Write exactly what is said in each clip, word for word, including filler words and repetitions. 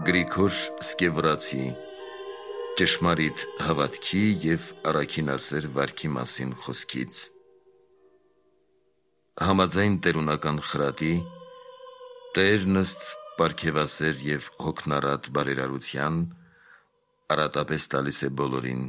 Գրիգոր Սկևրացի ճշմարիտ հավատքի և առաքինասեր վարքի մասին խոսքից։ Համաձայն տերունական խրատի, Տերն ըստ պարգևասեր և հոգնարատ բարերարության արատապես տալիս է բոլորին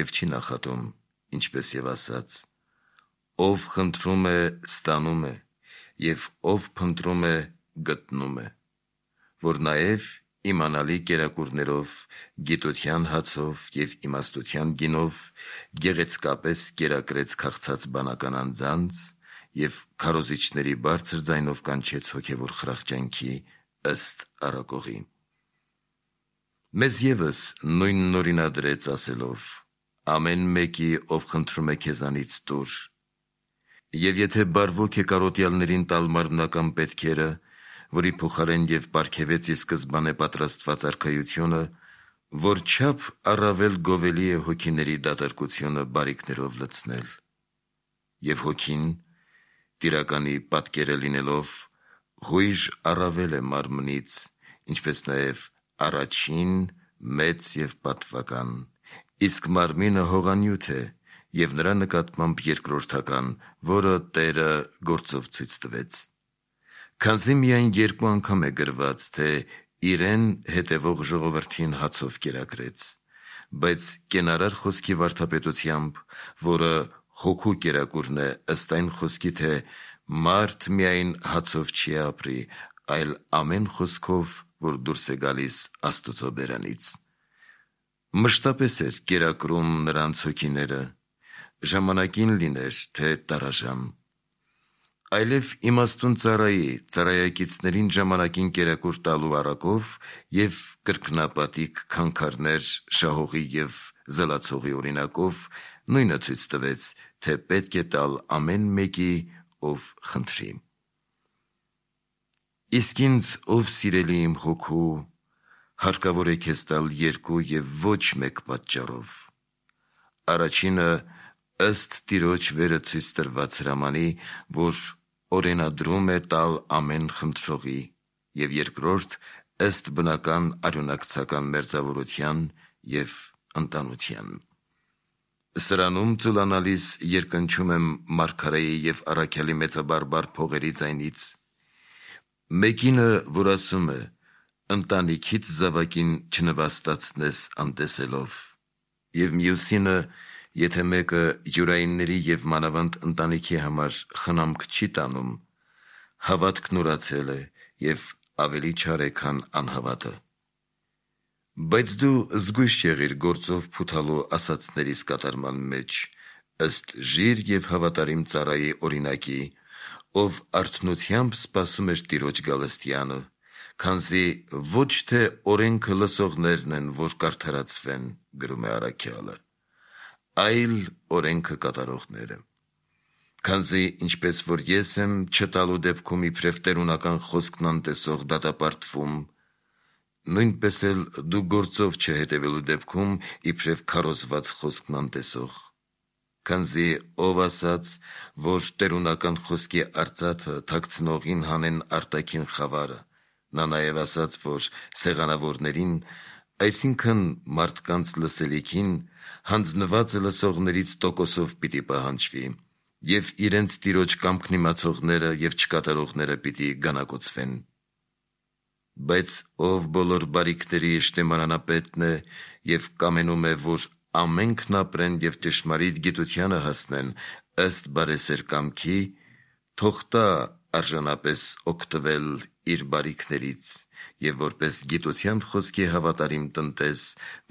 և չի նախատում, ինչպես և ասաց. «Ով խնդրում է, ստանում է, և ով փնտրում է, գտնում է», որ նաև իմանալի կերակուրներով, գիտության հացով և իմաստության գինով գեղեցկապես կերակրեց քաղցած բանական անձանց և քարոզիչների բարձր ձայնով կանչեց հոգևոր խրախճանքի ըստ առակողի։ Մեզ ևս նույնն օրինադրեց ասելով. «Ամեն մեկի, ով խնդրում է քեզանից, տուր, և եթե բարվոք է կարոտյալներին տալ մարմնական պետքերը, որի փոխարեն և պարգևեց ի սկզբանե պատրաստված արքայությունը, որչափ առավել գովելի է հոգիների դատարկությունը բարիքներով լցնել։ Եվ հոգին, տիրականի պատկերը լինելով, հույժ առավել է մարմնից, ինչպես նաև առաջին, մեծ և պատվական, իսկ մարմինը հողանյութ է և նրա նկատմամբ երկրորդական, որը Տերը գործով ցույց տվեց։ Քանզի միայն երկու անգամ է գրված, թե իրեն հետևող ժողովրդին հացով կերակրեց, բայց կենարար խոսքի վարդապետությամբ, որը հոգու կերակուրն է, ըստ այն խոսքի, թե մարդ միայն հացով չի ապրի, այլ ամեն խոսքով, որ դուրս է գալիս Աստուծո բերանից։ Մշտապես էր կերակրում նրանց հոգիները, ժամանակին լիներ, թե տարաժամ, այլև իմաստուն ծառայի ծառայակիցներին ժամանակին կերակուր տալու առակով և կրկնապատիկ քանքարներ շահողի և զլացողի օրինակով նույնը ցույց տվեց, թե պետք է տալ ամեն մեկի, ով խնդրի։ Իսկ ինձ, ով սիրելի իմ հոգու, հարկավոր է քեզ տալ երկու և ոչ մեկ պատճառով. առաջինը ըստ Տիրոջ վերը ցույց տրված հրամանի, որ օրենադրում է տալ ամեն խնդրողի, և երկրորդ ըստ բնական արյունակցական մերձավորության և ընտանության։ Սրանում ծուլանալիս երկնչում եմ մարգարեի և առաքյալի մեծաբարբար փողերի ձայնից, մեկինը, որ ասում է. «Ընտանիքիդ զավակին չնվաստացնես անտեսելով», և մյուսինը, եթե մեկը յուրայինների և մանավանդ ընտանիքի համար խնամք չի տանում, հավատքն ուրացել է և ավելի չար է, քան անհավատը։ Բայց դու զգույշ եղիր գործով փութալու ասացներիս կատարման մեջ, ըստ ժիր և հավատարիմ ծառայի օրինակի, ով արթնությամբ սպասում էր Տիրոջ գալստյանը, քանզի ոչ թե օրենքը լսողներն են, որ կարդարացվեն, գրում է առաքյալը, այլ օրենքը կատարողները։ Քանզի ինչպես որ ես եմ չտալու դեպքում իբրև տերունական խոսքն անտեսող դատապարտվում, նույնպես էլ դու գործով չհետևելու դեպքում իբրև քարոզված խոսքն անտեսող։ Քանզի ով ասաց, որ տերունական խոսքի արծաթը թաքցնողին հանեն արտաքին խավարը, նա նաև ասաց, որ սեղանավորներին, այսինքն մարդկանց լսելիքին, հանձնված լսողներից տոկոսով պիտի պահանջվի, և իրենց Տիրոջ կամքն իմացողները և չկատարողները պիտի գանակոծվեն։ Բայց ով բոլոր բարիքների շտեմարանապետն է և կամենում է, որ ամենքն ապրեն և ճշմարիտ գիտությանը հասնեն ըստ բարեսեր կամքի, թող տա արժանապես օգտվել իր բարիքներից և որպես գիտության խոսքի հավատարիմ տնտես,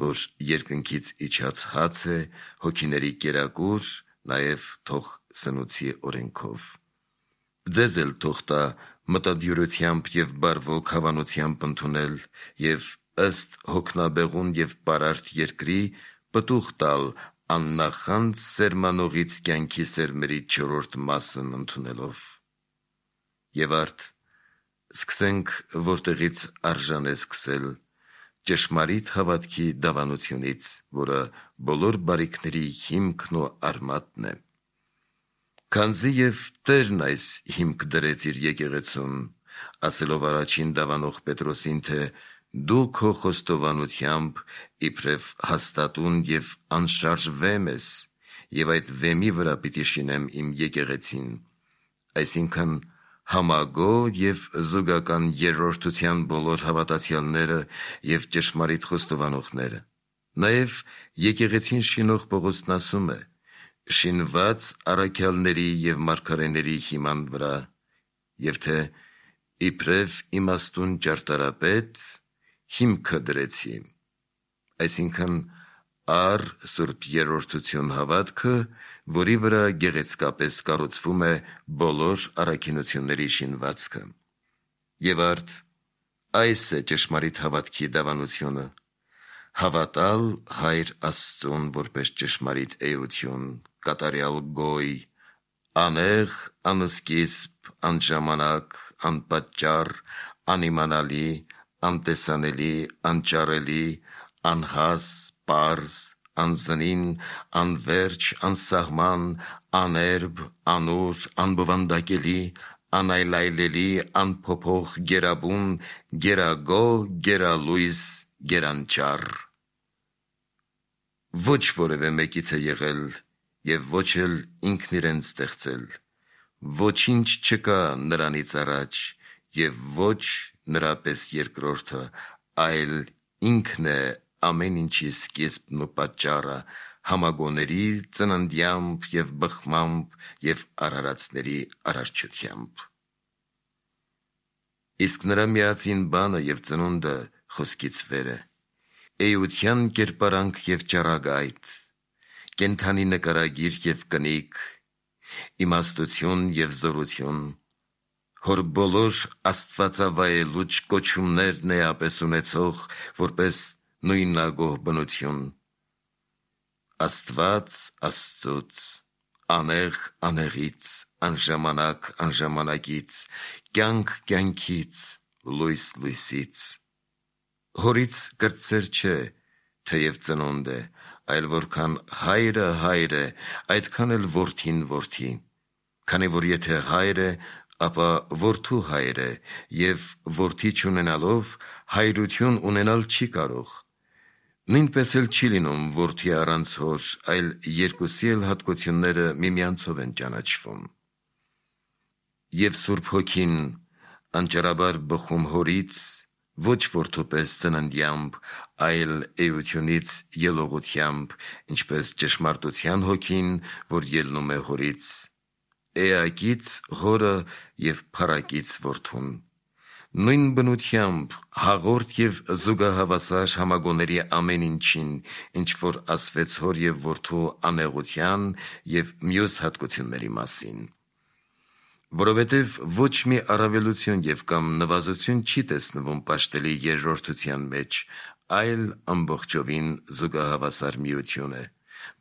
որ երկնքից իջած հաց է, հոգիների կերակուր, նաև թող սնուցի օրենքով։ Ձեզ էլ թող տա մտադյուրությամբ և բարվոք հավանությամբ ընդունել և ըստ հոգնաբեղուն և պարարտ երկրի պտուղ տալ աննախանձ սերմանողից կյանքի սերմերի չորրորդ մասն ընդունելով։ Եվ արդ սկսենք, որտեղից արժան է սկսել, ճշմարիտ հավատքի դավանությունից, որը բոլոր բարիքների հիմքն ու արմատն է։ Քանզի և Տերն այս հիմք դրեց իր եկեղեցուն, ասելով առաջին դավանող Պետրոսին, թե Դու քո խոստովանությամբ իբրև հաստատուն և անշարժ վեմ ես, և այդ վեմի վրա պիտի շինեմ իմ եկեղեցին, այսինքն համագոհ և զուգական երրորդության բոլոր հավատացյալները և ճշմարիտ խոստովանողները։ Նաև եկեղեցին շինող Պողոսն ասում է. շինված առաքյալների և մարգարեների հիման վրա, և թե իբրև իմաստուն ճարտարապետ հիմքը դրեցի, այսինքն առ սուրբ երրորդություն հավատքը, որի վրա գեղեցկապես կառուցվում է բոլոր առաքինությունների շինվածքը։ Եվ արդ այս է ճշմարիտ հավատքի դավանությունը. հավատալ Հայր Աստծուն որպես ճշմարիտ էություն, կատարյալ գոյ, անեղ, անսկիզբ, անժամանակ, անպատճառ, անիմանալի, անտեսանելի, անճարելի, անհաս, պարզ, անզնին, անվերջ, անսահման, աներբ, անուր, անբովանդակելի, անայլայլելի, անփոփոխ, գերաբուն, գերագոհ, գերալույս, գերանճառ։ Ոչ որևէ մեկից է եղել և ոչ էլ ինքն իրեն ստեղծել, ոչինչ չկա նրանից առաջ և ոչ նրա պես երկրորդը, այլ ինքն է ամեն ինչի սկիզբն ու պատճառը, համագոհների ծննդյամբ և բխմամբ և արարածների արարչությամբ։ Իսկ նրա միածին բանը և ծնունդը խոսքից վեր է, էության կերպարանք և ճառագայթ, կենդանի նկարագիր և կնիկ, իմաստություն և զորություն, հոր բոլոր աստվածավայելուչ կոչումներն էապես ունեցող, որպես նույնագոհ բնություն, Աստված Աստծուց, անեղ անեղից, անժամանակ անժամանակից, կյանք կյանքից, լույս լույսից։ Հորից կրտսեր չէ, թեև ծնունդ է, այլ որքան հայրը հայր է, այդքան էլ որդին որդի, քանի որ եթե հայր է, ապա որդու հայր է, և որդի չունենալով հայրություն ունենալ չի կարող։ Նույնպես էլ չի լինում որդի առանց հոր, այլ երկուսի էլ հատկությունները միմյանցով են ճանաչվում։ Եվ Սուրբ Հոգին անճարաբար բխում հորից, ոչ որդու պես ծննդյամբ, այլ էությունից ելողությամբ, ինչպես ճշմարտության Հոգին, որ ելնում է հորից, էակից հորը և փառակից որդուն, նույն բնությամբ հաղորդ և զուգահավասար համագոհների ամեն ինչին, ինչ որ ասվեց հոր և որդու անեղության և մյուս հատկությունների մասին։ Որովհետև ոչ մի առավելություն և կամ նվազություն չի տեսնվում պաշտելի երրորդության մեջ, այլ ամբողջովին զուգահավասար միություն է,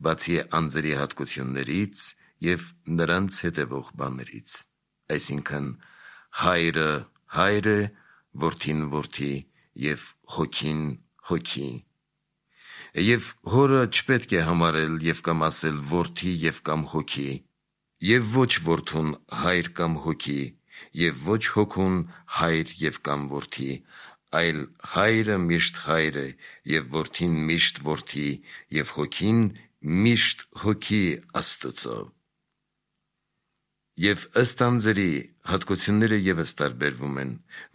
բացի անձերի հատկություններից և նրանց հետևող բաներից, այսինքն հայրը հայր է, որդին որդի և հոգին հոգի։ Եվ հորը չպետք է համարել և կամ ասել որդի և կամ հոգի, և ոչ որդուն հայր կամ հոգի, և ոչ հոգուն հայր և կամ որդի, այլ հայրը միշտ հայր է, և որդին միշտ որդի, և հոգին միշտ հոգի Աստծո։ Եվ ըստ անձերի հատկությունները ևս տարբերվում են,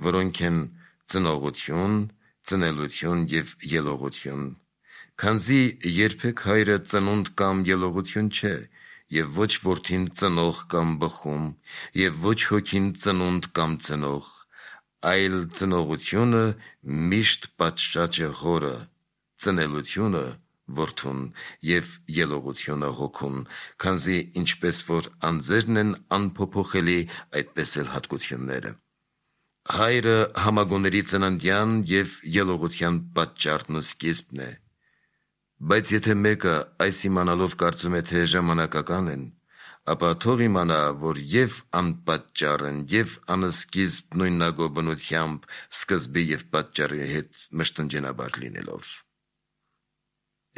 որոնք են ծնողություն, ծնելություն և ելողություն, քանզի երբեք հայրը ծնունդ կամ ելողություն չէ, և ոչ որդին ծնող կամ բխում, և ոչ հոգին ծնունդ կամ ծնող, այլ ծնողությունը միշտ պատշաճ է հորը, ծնելությունը որդուն և ելողությունը հոգուն, քանզի ինչպես որ անձերն են անփոփոխելի, այդպես էլ հատկությունները։ Հայրը համագոհների ծննդյան և ելողության պատճառն ու սկիզբն է, բայց եթե մեկը այս իմանալով կարծում է, թե ժամանակական են, ապա թող իմանա, որ և անպատճառ են, և անսկիզբ նույնագոհ բնությամբ սկզբի և պատճառի հետ մշտնջենաբար լինելով։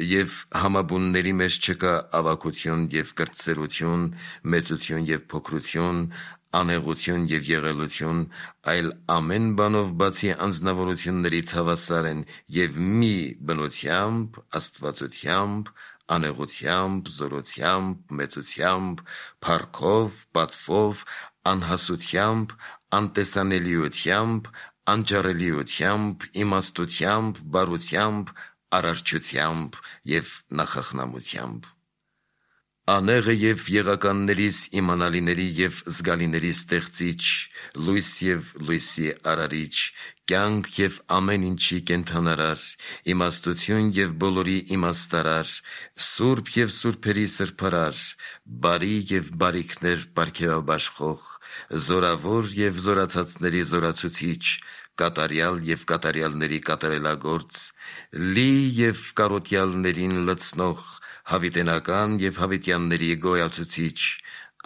Եվ համաբունների մեջ չկա ավագություն և կրտսերություն, մեծություն և փոքրություն, անեղություն և եղելություն, այլ ամեն բանով բացի անձնավորություններից հավասար են և մի բնությամբ, աստվածությամբ, անեղությամբ, զորությամբ, մեծությամբ, փառքով, պատվով, անհասությամբ, անտեսանելիությամբ, անճարելիությամբ, իմաստությամբ, բարությամբ, արարչությամբ և նախախնամությամբ։ Անեղը և եղականներիս իմանալիների և զգալիների ստեղծիչ, լույս և լույսի արարիչ, կյանք և ամեն ինչի կենդանարար, իմաստություն և բոլորի իմաստարար, սուրբ և սուրբերի սրբարար, բարի և բարիքներ պարգևաբաշխող, զորավոր և զորացածների զորացուցիչ, կատարյալ և կատարյալների կատարելագործ, լի և կարոտյալներին լցնող, հավիտենական և հավիտյանների գոյացուցիչ,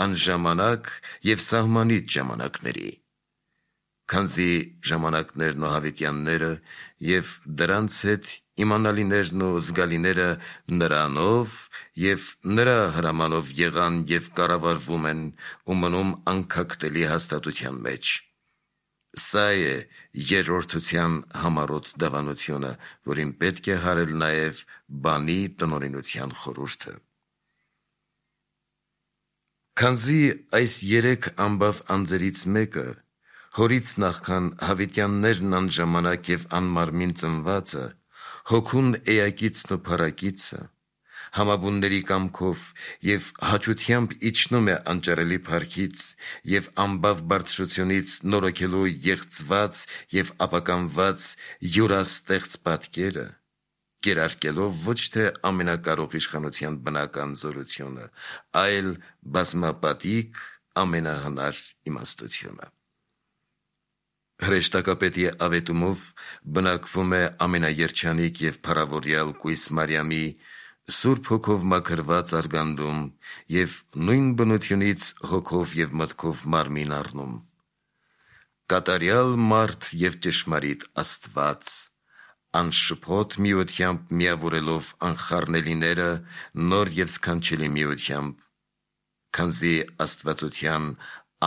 անժամանակ և սահմանիչ ժամանակների։ Քանզի ժամանակներն ու հավիտյանները և դրանց հետ իմանալիներն ու զգալիները նրանով և նրա հրամանով եղան և կառավարվում են ու մնում անքակտելի հաստատության մեջ։ Սա է երրորդության համառոտ դավանությունը, որին պետք է հարել նաև բանի տնօրինության խորհուրդը։ Քանզի այս երեք ամբավ անձերից մեկը, հորից նախքան հավիտյաններն անժամանակ և անմարմին ծնվածը, հոգուն էակիցն ու փառակիցը, համաբունների կամքով և հաճությամբ իջնում է անճարելի փառքից և ամբավ բարձրությունից նորոգելու եղծված և ապականված յուրաստեղծ պատկերը, կերարկելով ոչ թե ամենակարող իշխանության բնական զորությունը, այլ բազմապատիկ ամենահնար իմաստությունը։ Հրեշտակապետի ավետումով բնակվում է ամենաերջանիկ և փառավորյալ կույս Մարիամի Սուրբ Հոգով մաքրված արգանդում և նույն բնությունից հոգով և մտքով մարմին առնում։ Կատարյալ մարդ և ճշմարիտ Աստված, անշփոթ միությամբ միավորելով անխառնելիները նոր և սքանչելի միությամբ, քանզի աստվածության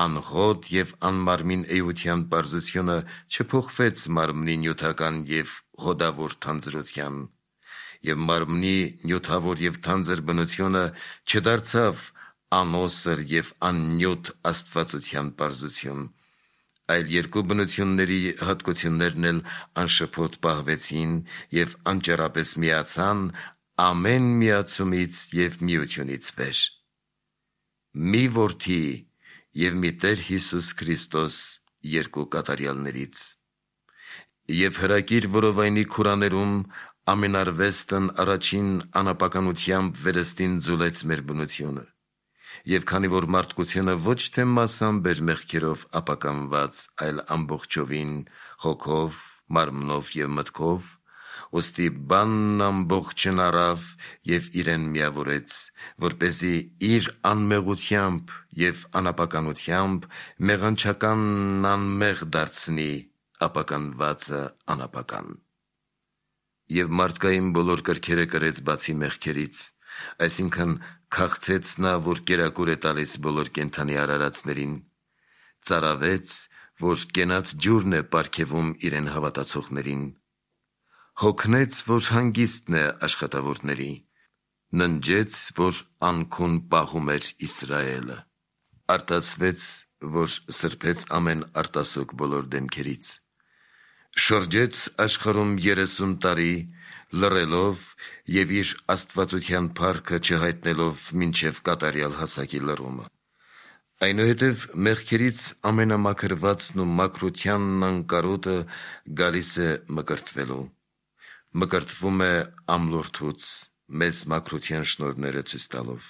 անհոտ և անմարմին էության պարզությունը չփոխվեց մարմնի նյութական և հոդավոր թանձրության, և մարմնի նյութավոր և թանձր բնությունը չդարձավ անոսր և աննյութ աստվածության պարզություն, այլ երկու բնությունների հատկություններն էլ անշփոթ պահվեցին և անճեռապես միացան ամեն միացումից և միությունից վեր։ Մի Որդի և մի Տեր Հիսուս Քրիստոս երկու կատարյալներից։ Եվ հրակիր որովայնի քուրաներում ամենարվեստն առաջին անապականությամբ վերստին ձուլեց մեր բնությունը, և քանի որ մարդկությունը ոչ թե մասամբ էր մեղքերով ապականված, այլ ամբողջովին հոգով, մարմնով և մտքով, ուստի բանն ամբողջն առավ և իրեն միավորեց, որպեսզի իր անմեղությամբ և անապականությամբ մեղանչականն անմեղ դարձնի, ապականվածը անապական։ Եվ մարդկային բոլոր կրքերը կրեց բացի մեղքերից, այսինքն քաղցեց նա, որ կերակուր է տալիս բոլոր կենդանի արարածներին, ծարավեց, որ կենաց ջուրն է պարգևում իրեն հավատացողներին, հոգնեց, որ հանգիստն է աշխատավորների, ննջեց, որ անքուն պահում էր Իսրայելը, արտասվեց, որ սրբեց ամեն արտասուք բոլոր դեմքերից, շրջեց աշխարհում երեսուն տարի, լռելով և իր աստվածության փառքը չհայտնելով մինչև կատարյալ հասակի լռումը։ Այնուհետև մեղքերից ամենամաքրվածն ու մաքրությանն անկարոտը գալիս է մկրտվելու, մկրտվում է ամլորթուց, մեզ մաքրության շնորհները ցույց տալով,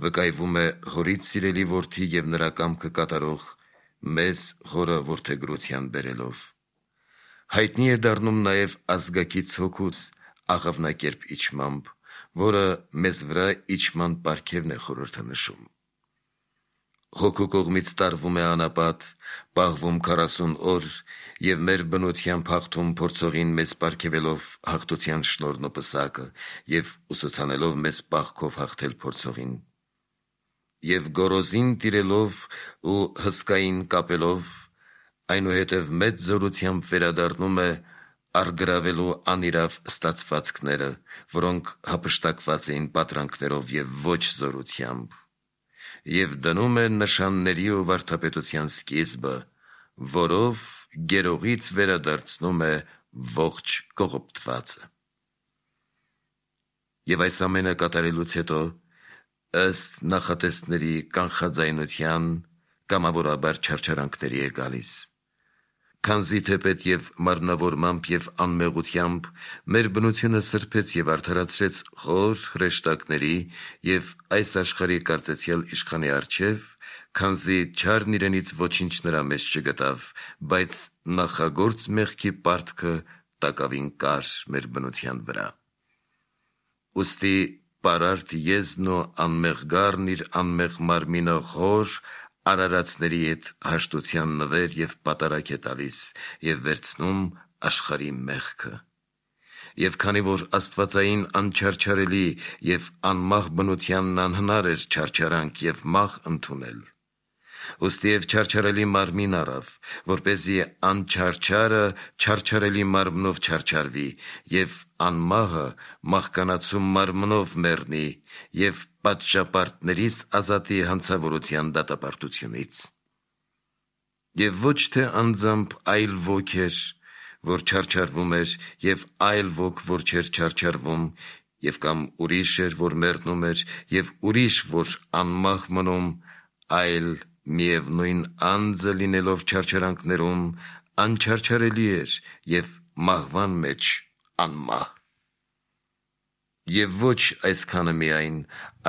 վկայվում է հորից սիրելի որդի և նրա կամքը կատարող, մեզ հորը որդեգրության բերելով, հայտնի է դառնում նաև ազգակից հոգուց աղավնակերպ իջմամբ, որը մեզ վրա իջման պարգևն է խորհրդանշում։ Հոգու կողմից տարվում է անապատ, պահվում քառասուն օր և մեր բնությամբ հաղթում փորձողին մեզ պարգևելով հաղթության շնորհն ու պսակը և ուսուցանելով մեզ պահքով հաղթել փորձողին։ եւ գորոզին տիրելով ու հսկային կապելով, այնուհետև մեծ զորությամբ վերադառնում է արգրավելու անիրավ ստացվածքները, որոնք հափշտակված էին պատրանքներով եւ ոչ զորությամբ, եւ դնում է նշանների ու վարդապետության սկիզբը, որով գերողից վերադարձնում է ողջ կողոպտվածը։ Եվ այս ամենը կատարելուց հետո, ըստ նախատեսների կանխաձայնության, կամավորաբար չարչարանքների է գալիս, քանզի թեպետ եւ մարմնավորմամբ եւ անմեղությամբ մեր բնությունը սրբեց եւ արդարացրեց խոր հրեշտակների եւ այս աշխարհի կարծեցյալ իշխանի առջև, քանզի չարն իրենից ոչինչ նրա մեջ չգտավ, բայց նախագործ մեղքի պարտքը տակավին կար մեր բնության վրա։ Ուստի պարարտ եզն ու անմեղ գառն իր անմեղ մարմինը խոր արարածների հետ հաշտության նվեր եւ պատարակ է տալիս եւ վերցնում աշխարհի մեղքը։ Եվ քանի որ աստվածային անչարչարելի եւ անմահ բնությանն անհնար էր չարչարանք եւ մահ ընդունել, ուստի եւ չարչարելի մարմին առավ, որպեսզի անչարչարը չարչարելի մարմնով չարչարվի եւ անմահը մահկանացու մարմնով մեռնի եւ պատշապարտներից ազատի հանցավորության դատապարտությունից։ Եվ ոչ թե անձամբ այլ ոք էր, որ չարչարվում էր, եւ այլ ոք, որ չէր չարչարվում, եւ կամ ուրիշ էր, որ մեռնում էր, եւ ուրիշ, որ անմահ մնում, այլ միևնույն անձը լինելով չարչարանքներում, անչարչարելի էր եւ մահվան մեջ անմահ։ Եվ ոչ այսքանը միայն,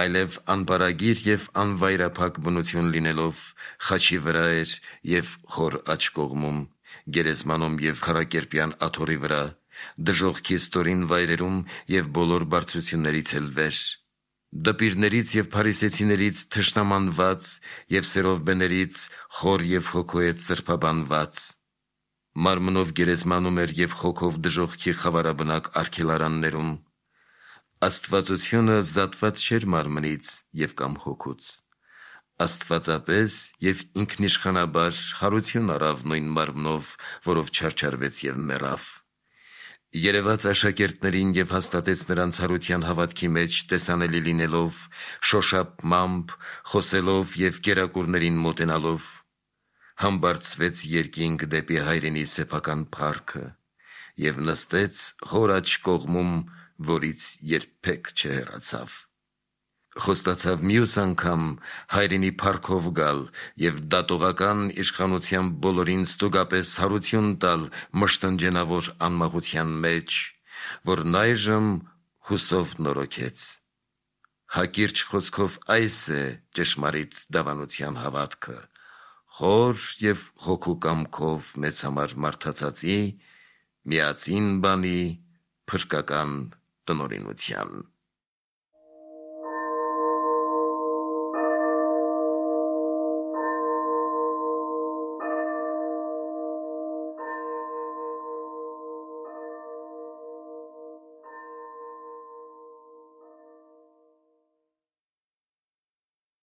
այլև անպարագիր եւ անվայրափակ բնություն լինելով, խաչի վրա էր եւ խոր աջ կողմում, գերեզմանում եւ քարակերպյան աթոռի վրա, դժոխքի ստորին վայրերում եւ բոլոր բարձրություններից էլ վեր, դպիրներից եւ փարիսեցիներից թշնամանված եւ սերովբեներից խոր եւ հոգու հետ սրբաբանված, մարմնով գերեզմանում էր եւ հոգով դժոխքի խավարաբնակ արգելարաններում, աստվածությունը զատված չէր մարմնից եւ կամ հոգուց, աստվածապես եւ ինքնիշխանաբար հարություն առավ նույն մարմնով, որով չարչարվեց եւ մեռավ, երևաց աշակերտներին եւ հաստատեց նրանց հարության հավատքի մեջ տեսանելի լինելով, շոշափմամբ, խոսելով եւ կերակուրներին մոտենալով, համբարձվեց երկինք դեպի հայրենի սեփական փառքը եւ նստեց խոր աջ կողմում, որից երբեք չհեռացավ։ Խոստացավ մյուս անգամ հայրենի փառքով գալ եւ դատողական իշխանությամբ բոլորին ստուգապես հարություն տալ մշտնջենավոր անմահության մեջ, որն այժմ հուսով նորոգեց։ Հակիրճ խոսքով այս է ճշմարիտ դավանության հավատքը, խոր եւ հոգու կամքով մեծ համար մարդացածի, միածին բանի, փրկական տնօրինության։